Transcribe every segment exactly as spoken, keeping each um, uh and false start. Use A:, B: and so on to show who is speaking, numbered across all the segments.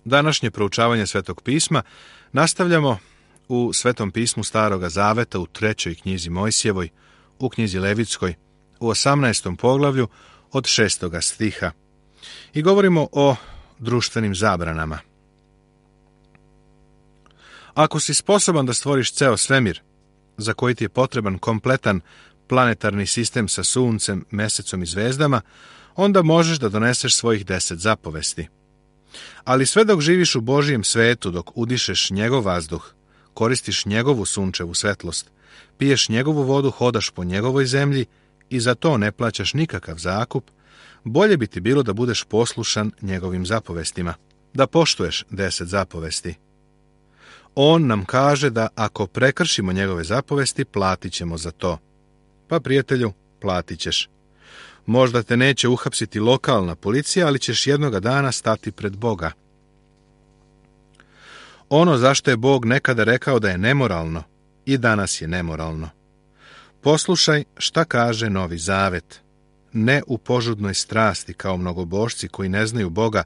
A: Današnje proučavanje Svetog pisma nastavljamo u Svetom pismu Staroga Zaveta u trećoj knjizi Mojsijevoj, u knjizi Levitskoj, u osamnaestom poglavlju od šestoga stiha. I govorimo o društvenim zabranama. Ako si sposoban da stvoriš ceo svemir, za koji ti je potreban kompletan planetarni sistem sa suncem, mesecom i zvezdama, onda možeš da doneseš svojih deset zapovesti. Ali sve dok živiš u Božijem svetu, dok udišeš njegov vazduh, koristiš njegovu sunčevu svetlost, piješ njegovu vodu, hodaš po njegovoj zemlji i za to ne plaćaš nikakav zakup, bolje bi ti bilo da budeš poslušan njegovim zapovestima, da poštuješ deset zapovesti. On nam kaže da ako prekršimo njegove zapovesti, platit ćemo za to. Pa, prijatelju, platit ćeš. Možda te neće uhapsiti lokalna policija, ali ćeš jednoga dana stati pred Boga. Ono zašto je Bog nekada rekao da je nemoralno, i danas je nemoralno. Poslušaj šta kaže Novi Zavet. Ne u požudnoj strasti kao mnogobožci koji ne znaju Boga,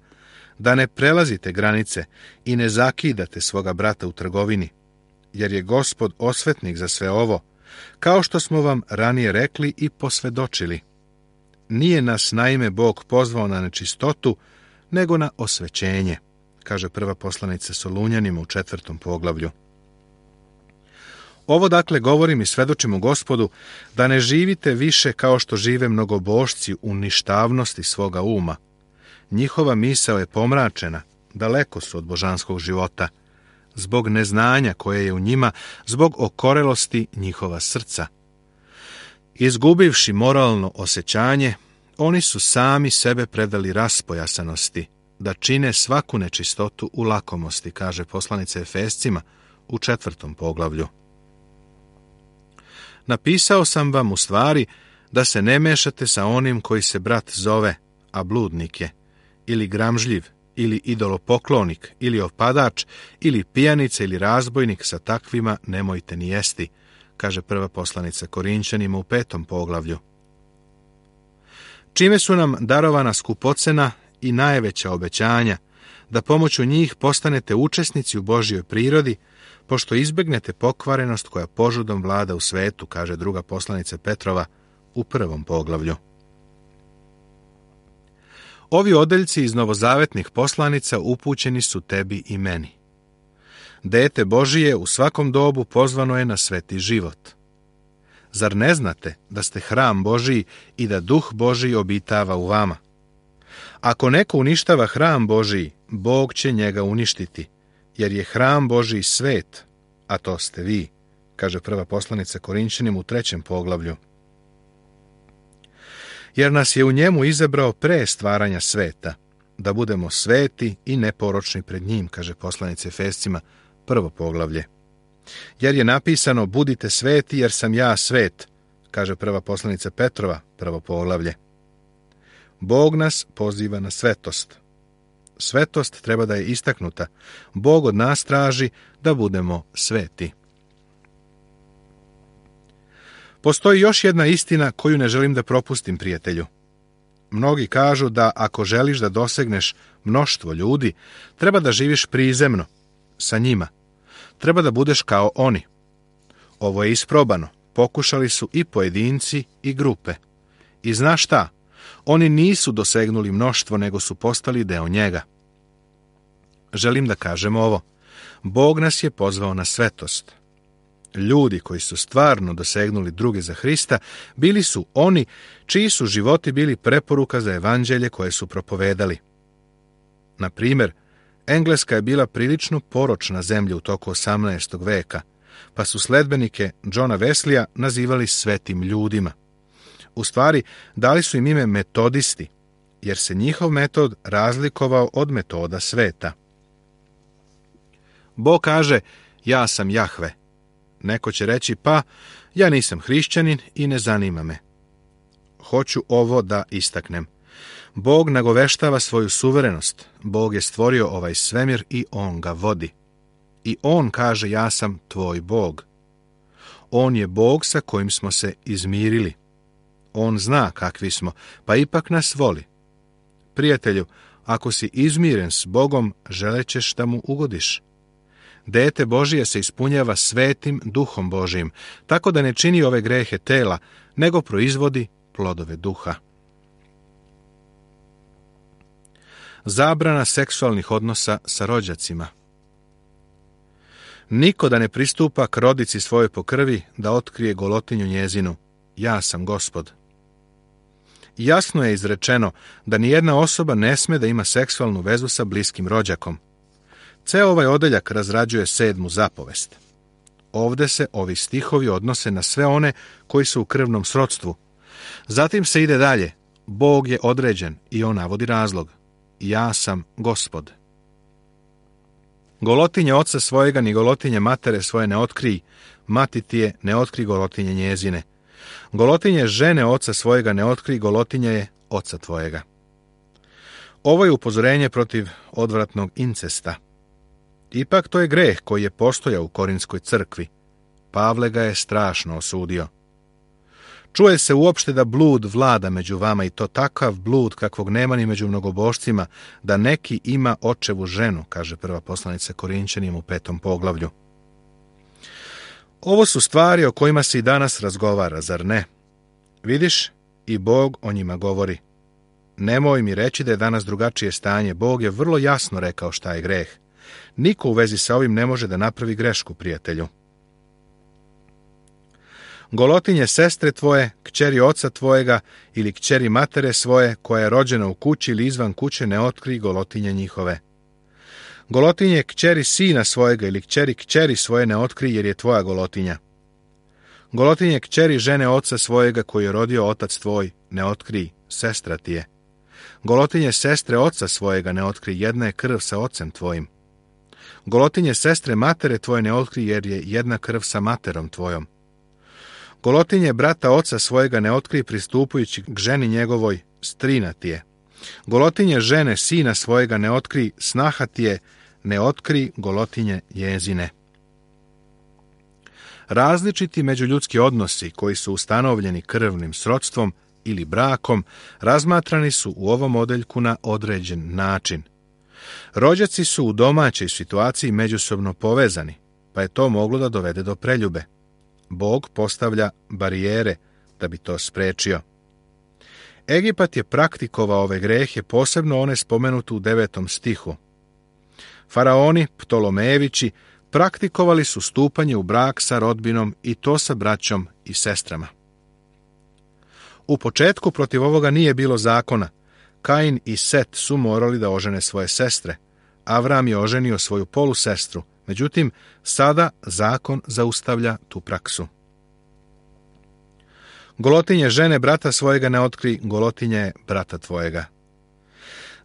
A: da ne prelazite granice i ne zakidate svoga brata u trgovini, jer je Gospod osvetnik za sve ovo, kao što smo vam ranije rekli i posvedočili. Nije nas naime Bog pozvao na nečistotu, nego na osvećenje, kaže prva poslanica Solunjanima u četvrtom poglavlju. Ovo dakle govorim i svedočim u Gospodu, da ne živite više kao što žive mnogobožci u ništavnosti svoga uma. Njihova misao je pomračena, daleko su od božanskog života, zbog neznanja koje je u njima, zbog okorelosti njihova srca. Izgubivši moralno osjećanje, oni su sami sebe predali raspojasanosti, da čine svaku nečistotu u lakomosti, kaže poslanica Efescima u četvrtom poglavlju. Napisao sam vam u stvari da se ne mešate sa onim koji se brat zove, a bludnik je, ili gramžljiv, ili idolopoklonik, ili opadač, ili pijanica, ili razbojnik, sa takvima nemojte ni jesti, kaže prva poslanica Korinćanima u petom poglavlju. Čime su nam darovana skupocena i najveća obećanja, da pomoću njih postanete učesnici u Božjoj prirodi, pošto izbegnete pokvarenost koja požudom vlada u svetu, kaže druga poslanica Petrova u prvom poglavlju. Ovi odeljci iz novozavetnih poslanica upućeni su tebi i meni. Dete Božije u svakom dobu pozvano je na sveti život. Zar ne znate da ste hram Božiji i da Duh Božiji obitava u vama? Ako neko uništava hram Božiji, Bog će njega uništiti, jer je hram Božiji svet, a to ste vi, kaže prva poslanica Korinćanima u trećem poglavlju. Jer nas je u njemu izabrao pre stvaranja sveta, da budemo sveti i neporočni pred njim, kaže poslanica Efescima, prvo poglavlje. Jer je napisano, budite sveti jer sam ja svet, kaže prva poslanica Petrova, prvo poglavlje. Bog nas poziva na svetost. Svetost treba da je istaknuta. Bog od nas traži da budemo sveti. Postoji još jedna istina koju ne želim da propustim, prijatelju. Mnogi kažu da ako želiš da dosegneš mnoštvo ljudi, treba da živiš prizemno, sa njima. Treba da budeš kao oni. Ovo je isprobano. Pokušali su i pojedinci i grupe. I znaš šta? Oni nisu dosegnuli mnoštvo, nego su postali deo njega. Želim da kažem ovo. Bog nas je pozvao na svetost. Ljudi koji su stvarno dosegnuli druge za Hrista, bili su oni čiji su životi bili preporuka za evanđelje koje su propovedali. Na primjer, Engleska je bila prilično poročna zemlja u toku osamnaestog veka, pa su sledbenike Johna Wesleya nazivali svetim ljudima. U stvari, dali su im ime metodisti, jer se njihov metod razlikovao od metoda sveta. Bog kaže, ja sam Jahve. Neko će reći, pa, ja nisam hrišćanin i ne zanima me. Hoću ovo da istaknem. Bog nagoveštava svoju suverenost. Bog je stvorio ovaj svemir i on ga vodi. I on kaže, ja sam tvoj Bog. On je Bog sa kojim smo se izmirili. On zna kakvi smo, pa ipak nas voli. Prijatelju, ako si izmiren s Bogom, želećeš da mu ugodiš. Dete Božije se ispunjava svetim duhom Božijim, tako da ne čini ove grehe tela, nego proizvodi plodove duha. Zabrana seksualnih odnosa sa rođacima. Niko da ne pristupa k rodici svojoj po krvi da otkrije golotinju njezinu. Ja sam Gospod. Jasno je izrečeno da nijedna osoba ne sme da ima seksualnu vezu sa bliskim rođakom. Ceo ovaj odeljak razrađuje sedmu zapovest. Ovde se ovi stihovi odnose na sve one koji su u krvnom srodstvu. Zatim se ide dalje. Bog je određen i on navodi razlog. Ja sam Gospod. Golotinje oca svojega ni golotinje matere svoje ne otkrij, mati ti je ne otkri golotinje njezine. Golotinje žene oca svojega ne otkri, golotinje je oca tvojega. Ovo je upozorenje protiv odvratnog incesta. Ipak to je greh koji je postojao u Korinskoj crkvi. Pavle ga je strašno osudio. Čuje se uopšte da blud vlada među vama, i to takav blud kakvog nema ni među mnogobošcima, da neki ima očevu ženu, kaže prva poslanica Korinćanima u petom poglavlju. Ovo su stvari o kojima se i danas razgovara, zar ne? Vidiš, i Bog o njima govori. Nemoj mi reći da je danas drugačije stanje. Bog je vrlo jasno rekao šta je greh. Niko u vezi sa ovim ne može da napravi grešku, prijatelju. Golotinje sestre tvoje, kćeri oca tvojega ili kćeri matere svoje, koja je rođena u kući ili izvan kuće, ne otkri golotinje njihove. Golotinje kćeri sina svojega ili kćeri kćeri svoje ne otkri, jer je tvoja golotinja. Golotinje kćeri žene oca svojega koju je rodio otac tvoj, ne otkri, sestra ti je. Golotinje sestre oca svojega ne otkri, jedna je krv sa ocem tvojim. Golotinje sestre matere tvoje ne otkri, jer je jedna krv sa materom tvojom. Golotinje brata oca svojega ne otkri, pristupujući k ženi njegovoj, strina ti je. Golotinje žene sina svojega ne otkri, snaha ti je, ne otkri golotinje njezine. Različiti međuljudski odnosi koji su ustanovljeni krvnim srodstvom ili brakom razmatrani su u ovom odeljku na određen način. Rođaci su u domaćoj situaciji međusobno povezani, pa je to moglo da dovede do preljube. Bog postavlja barijere da bi to sprečio. Egipat je praktikovao ove grehe, posebno one spomenute u devetom stihu. Faraoni, Ptolomejevići, praktikovali su stupanje u brak sa rodbinom, i to sa braćom i sestrama. U početku protiv ovoga nije bilo zakona. Kain i Set su morali da ožene svoje sestre. Avram je oženio svoju polusestru, međutim, sada zakon zaustavlja tu praksu. Golotinje žene brata svojega ne otkri, golotinje je brata tvojega.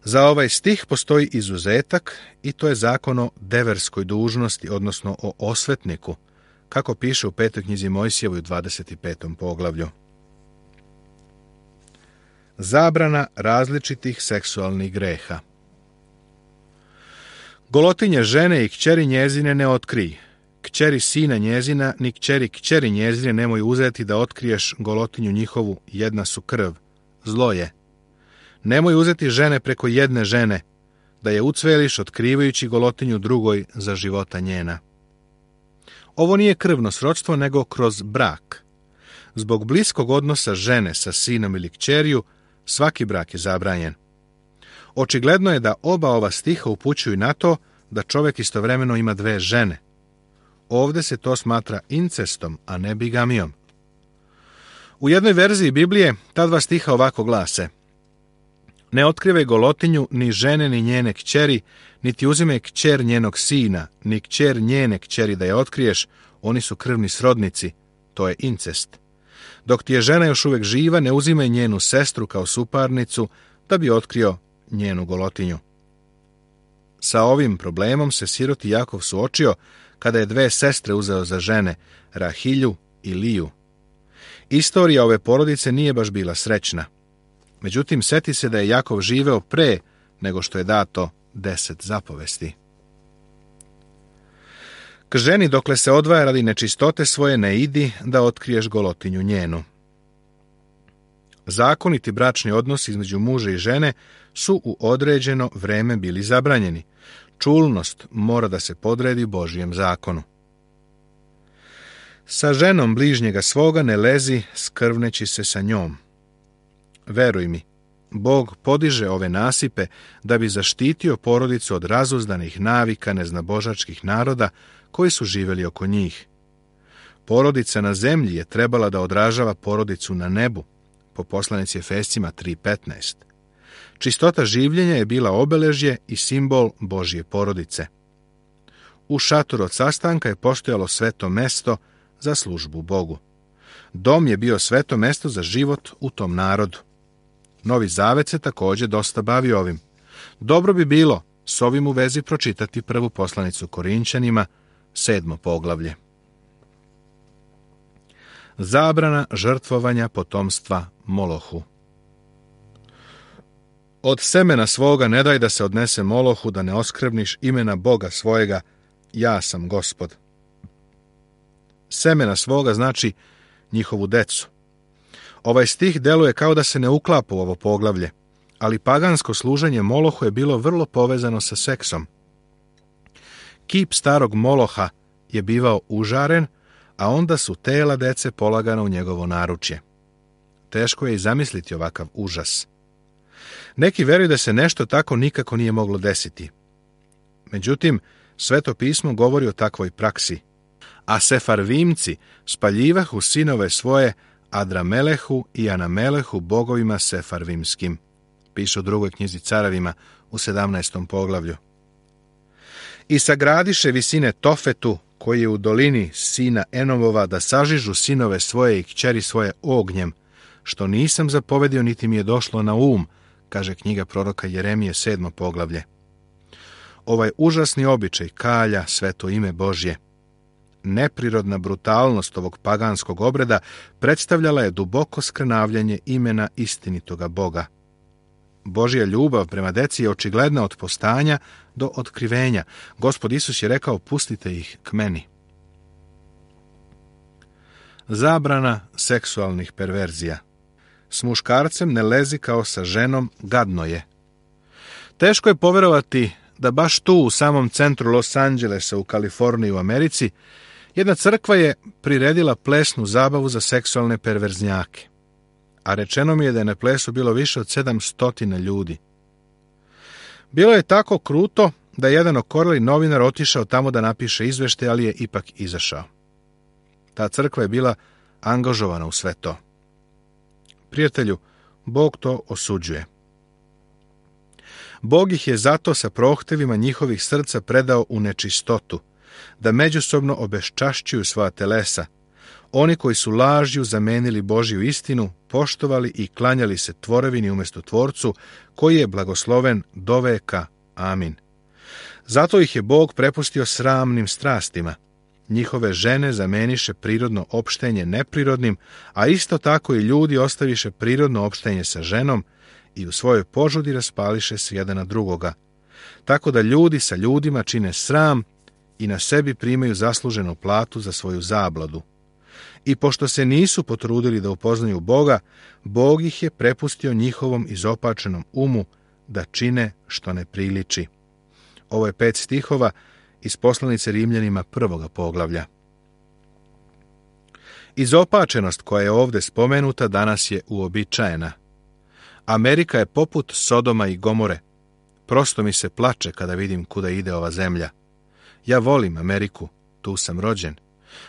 A: Za ovaj stih postoji izuzetak, i to je zakon o deverskoj dužnosti, odnosno o osvetniku, kako piše u petoj knjizi Mojsijevoj u dvadeset petom poglavlju. Zabrana različitih seksualnih greha. Golotinje žene i kćeri njezine ne otkrij. Kćeri sina njezina, ni kćeri kćeri njezine nemoj uzeti da otkriješ golotinju njihovu, jedna su krv. Zlo je. Nemoj uzeti žene preko jedne žene, da je ucveliš otkrivajući golotinju drugoj za života njena. Ovo nije krvno srodstvo, nego kroz brak. Zbog bliskog odnosa žene sa sinom ili kćeriju, svaki brak je zabranjen. Očigledno je da oba ova stiha upućuju na to da čovjek istovremeno ima dve žene. Ovde se to smatra incestom, a ne bigamijom. U jednoj verziji Biblije ta dva stiha ovako glase: ne otkrivaj golotinju ni žene ni njene kćeri, niti uzimaj kćer njenog sina, ni kćer njene kćeri da je otkriješ, oni su krvni srodnici, to je incest. Dok ti je žena još uvijek živa, ne uzimaj njenu sestru kao suparnicu, da bi otkrio njenu golotinju. Sa ovim problemom se siroti Jakov suočio kada je dve sestre uzeo za žene, Rahilju i Liju. Istorija ove porodice nije baš bila srećna. Međutim, seti se da je Jakov živeo pre nego što je dato deset zapovesti. K ženi dokle se odvaja radi nečistote svoje ne idi da otkriješ golotinju njenu. Zakoniti bračni odnosi između muža i žene su u određeno vreme bili zabranjeni. Čulnost mora da se podredi Božijem zakonu. Sa ženom bližnjega svoga ne lezi, skrvneći se sa njom. Veruj mi, Bog podiže ove nasipe da bi zaštitio porodicu od razuzdanih navika neznabožačkih naroda koji su živjeli oko njih. Porodica na zemlji je trebala da odražava porodicu na nebu, po poslanici Efescima tri petnaest. Čistota življenja je bila obeležje i simbol Božje porodice. U šatoru od sastanka je postojalo sveto mesto za službu Bogu. Dom je bio sveto mesto za život u tom narodu. Novi Zavet se također dosta bavi ovim. Dobro bi bilo s ovim u vezi pročitati prvu poslanicu Korinćanima, sedmo poglavlje. Zabrana žrtvovanja potomstva Molohu. Od semena svoga ne daj da se odnese Molohu, da ne oskvrniš imena Boga svojega, ja sam Gospod. Semena svoga znači njihovu decu. Ovaj stih deluje kao da se ne uklapa u ovo poglavlje, ali pagansko služenje Molohu je bilo vrlo povezano sa seksom. Kip starog Moloha je bivao užaren, a onda su tela dece polagana u njegovo naručje. Teško je i zamisliti ovakav užas. Neki veruju da se nešto tako nikako nije moglo desiti. Međutim, Sveto pismo govori o takvoj praksi. A Sefarvimci spaljivahu sinove svoje Adramelehu i Anamelehu bogovima sefarvimskim. Piše u drugoj knjizi Caravima u sedamnaestom poglavlju. I sagradiše visine Tofetu, koji je u dolini sina Enovova, da sažižu sinove svoje i kćeri svoje ognjem, što nisam zapovedio niti mi je došlo na um, kaže knjiga proroka Jeremije sedmo poglavlje. Ovaj užasni običaj kalja sveto ime Božje. Neprirodna brutalnost ovog paganskog obreda predstavljala je duboko skrnavljanje imena istinitoga Boga. Božja ljubav prema deci je očigledna od postanja do otkrivenja. Gospod Isus je rekao, pustite ih k meni. Zabrana seksualnih perverzija. S muškarcem ne lezi kao sa ženom, gadno je. Teško je poverovati da baš tu u samom centru Los Angelesa u Kaliforniji u Americi jedna crkva je priredila plesnu zabavu za seksualne perverznjake, a rečeno mi je da je na plesu bilo više od sedam stotina ljudi. Bilo je tako kruto da je jedan okoreli novinar otišao tamo da napiše izveštaj, ali je ipak izašao. Ta crkva je bila angažovana u sve to. Prijatelju, Bog to osuđuje. Bog ih je zato sa prohtevima njihovih srca predao u nečistotu, da međusobno obeščašćuju svoja telesa. Oni koji su lažju zamenili Božju istinu, poštovali i klanjali se tvorevini umjesto Tvorcu, koji je blagosloven do veka. Amin. Zato ih je Bog prepustio sramnim strastima. Njihove žene zameniše prirodno opštenje neprirodnim, a isto tako i ljudi ostaviše prirodno opštenje sa ženom i u svojoj požudi raspališe se jedan na drugoga. Tako da ljudi sa ljudima čine sram i na sebi primaju zasluženu platu za svoju zabladu. I pošto se nisu potrudili da upoznaju Boga, Bog ih je prepustio njihovom izopačenom umu da čine što ne priliči. Ovo je pet stihova iz poslanice Rimljanima prvoga poglavlja. Izopačenost koja je ovdje spomenuta danas je uobičajena. Amerika je poput Sodoma i Gomore. Prosto mi se plače kada vidim kuda ide ova zemlja. Ja volim Ameriku, tu sam rođen,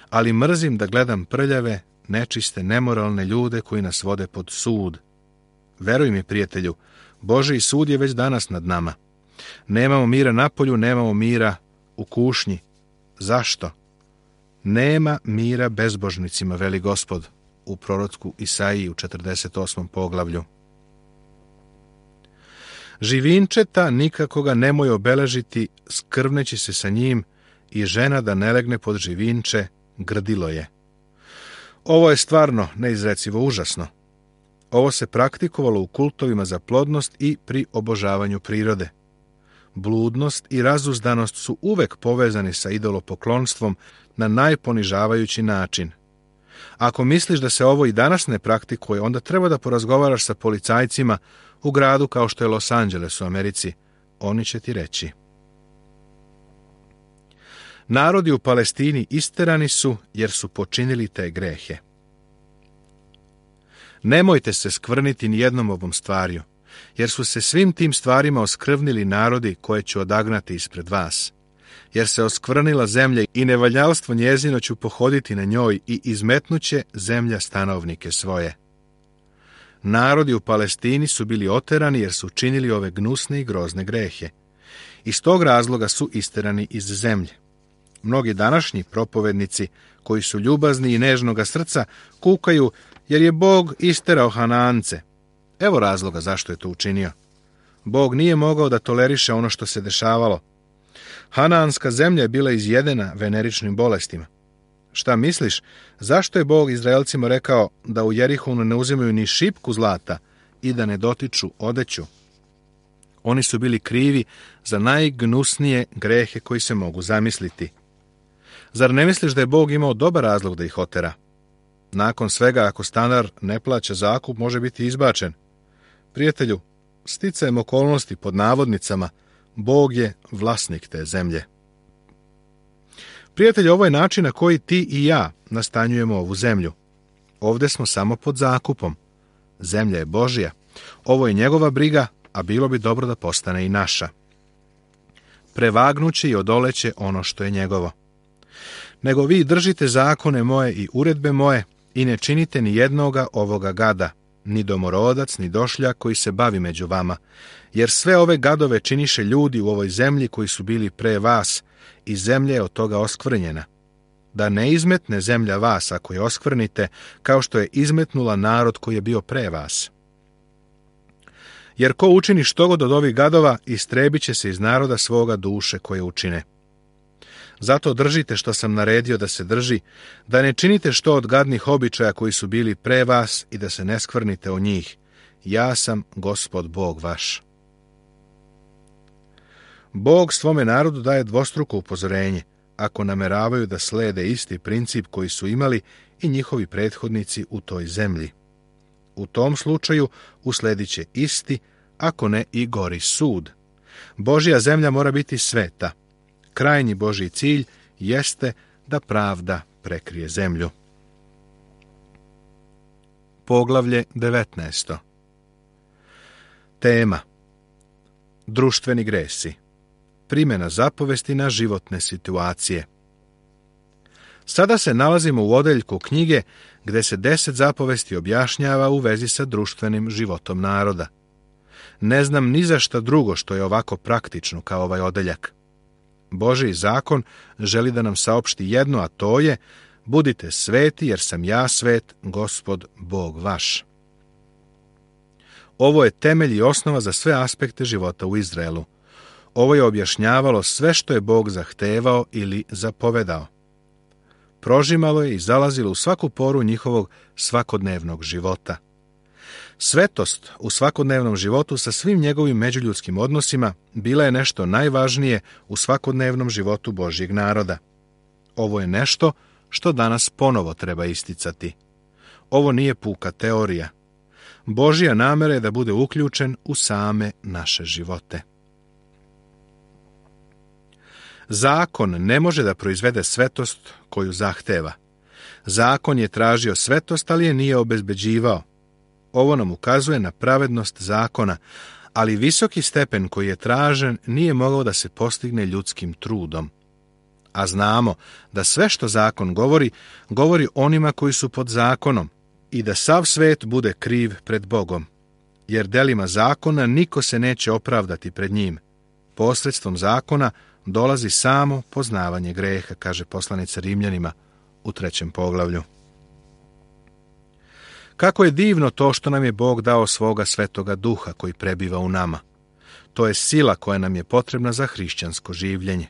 A: ali mrzim da gledam prljave, nečiste, nemoralne ljude koji nas vode pod sud. Veruj mi, prijatelju, Božji sud je već danas nad nama. Nemamo mira napolju, nemamo mira u kušnji. Zašto? Nema mira bezbožnicima, veli Gospod u prorocku Isaiji u četrdeset osmom poglavlju. Živinčeta nikako ga nemoj obeležiti, skrvneći se sa njim, i žena da ne legne pod živinče, grdilo je. Ovo je stvarno neizrecivo užasno. Ovo se praktikovalo u kultovima za plodnost i pri obožavanju prirode. Bludnost i razuzdanost su uvek povezani sa idolopoklonstvom na najponižavajući način. Ako misliš da se ovo i danas ne praktikuje, onda treba da porazgovaraš sa policajcima u gradu kao što je Los Angeles u Americi. Oni će ti reći. Narodi u Palestini isterani su jer su počinili te grehe. Nemojte se skvrniti ni jednom ovom stvarju, jer su se svim tim stvarima oskrvnili narodi koje ću odagnati ispred vas. Jer se oskvrnila zemlja i nevaljalstvo njezino ću pohoditi na njoj i izmetnuće zemlja stanovnike svoje. Narodi u Palestini su bili oterani jer su činili ove gnusne i grozne grehe. Iz tog razloga su isterani iz zemlje. Mnogi današnji propovednici, koji su ljubazni i nežnoga srca, kukaju jer je Bog isterao Hanaance. Evo razloga zašto je to učinio. Bog nije mogao da toleriše ono što se dešavalo. Hanaanska zemlja je bila izjedena veneričnim bolestima. Šta misliš, zašto je Bog Izraelcima rekao da u Jerihonu ne uzimaju ni šipku zlata i da ne dotiču odeću? Oni su bili krivi za najgnusnije grehe koji se mogu zamisliti. Zar ne misliš da je Bog imao dobar razlog da ih otera? Nakon svega, ako stanar ne plaća zakup, može biti izbačen. Prijatelju, sticajem okolnosti pod navodnicama, Bog je vlasnik te zemlje. Prijatelji, ovo je način na koji ti i ja nastanjujemo ovu zemlju. Ovdje smo samo pod zakupom. Zemlja je Božja. Ovo je njegova briga, a bilo bi dobro da postane i naša. Prevagnuće i odoleće ono što je njegovo. Nego vi držite zakone moje i uredbe moje i ne činite ni jednoga ovoga gada, ni domorodac, ni došljak koji se bavi među vama, jer sve ove gadove činiše ljudi u ovoj zemlji koji su bili pre vas i zemlja je od toga oskvrnjena. Da ne izmetne zemlja vas ako je oskvrnite, kao što je izmetnula narod koji je bio pre vas. Jer ko učini štogod od ovih gadova, istrebit će se iz naroda svoga duše koje učine. Zato držite što sam naredio da se drži, da ne činite što od gadnih običaja koji su bili pre vas i da se ne skvrnite o njih. Ja sam Gospod Bog vaš. Bog svome narodu daje dvostruko upozorenje, ako nameravaju da slede isti princip koji su imali i njihovi prethodnici u toj zemlji. U tom slučaju usledit će isti, ako ne i gori sud. Božja zemlja mora biti sveta. Krajnji Božji cilj jeste da pravda prekrije zemlju. Poglavlje devetnaesto. Tema: društveni gresi. Primjena zapovesti na životne situacije. Sada se nalazimo u odeljku knjige gdje se deset zapovesti objašnjava u vezi sa društvenim životom naroda. Ne znam ni za šta drugo što je ovako praktično kao ovaj odeljak. Božji zakon želi da nam saopšti jedno, a to je: budite sveti jer sam ja svet, Gospod Bog vaš. Ovo je temelj i osnova za sve aspekte života u Izraelu. Ovo je objašnjavalo sve što je Bog zahtevao ili zapovedao. Prožimalo je i zalazilo u svaku poru njihovog svakodnevnog života. Svetost u svakodnevnom životu sa svim njegovim međuljudskim odnosima bila je nešto najvažnije u svakodnevnom životu Božjeg naroda. Ovo je nešto što danas ponovo treba isticati. Ovo nije puka teorija. Božja namera je da bude uključen u same naše živote. Zakon ne može da proizvede svetost koju zahteva. Zakon je tražio svetost, ali je nije obezbeđivao. Ovo nam ukazuje na pravednost zakona, ali visoki stepen koji je tražen nije mogao da se postigne ljudskim trudom. A znamo da sve što zakon govori, govori onima koji su pod zakonom i da sav svet bude kriv pred Bogom. Jer delima zakona niko se neće opravdati pred njim. Posredstvom zakona dolazi samo poznavanje greha, kaže poslanica Rimljanima u trećem poglavlju. Kako je divno to što nam je Bog dao svoga svetoga duha koji prebiva u nama. To je sila koja nam je potrebna za hrišćansko življenje.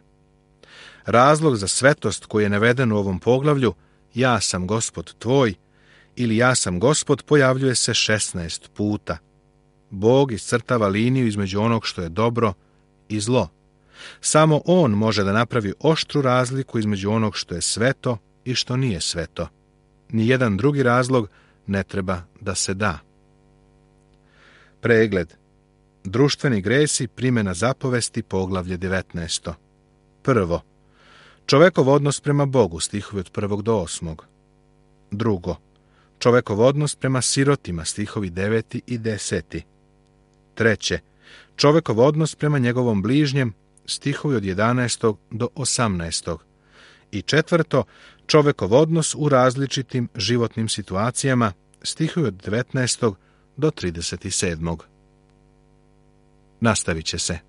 A: Razlog za svetost koji je naveden u ovom poglavlju, ja sam Gospod tvoj, ili ja sam Gospod, pojavljuje se šesnaest puta. Bog iscrtava liniju između onog što je dobro i zlo. Samo On može da napravi oštru razliku između onog što je sveto i što nije sveto. ni jedan drugi razlog ne treba da se da. Pregled. Društveni gresi, primjena zapovesti, poglavlje devetnaest. Prvo. Čovekov odnos prema Bogu, stihovi od prvog do osmog. Drugo. Čovekov odnos prema sirotima, stihovi deveti i deseti. Treće. Čovekov odnos prema njegovom bližnjem, stihovi od jedanaestog do osamnaestog. I četvrto. Čovekov odnos u različitim životnim situacijama, stihovi od devetnaestog do trideset sedmog. Nastavit će se.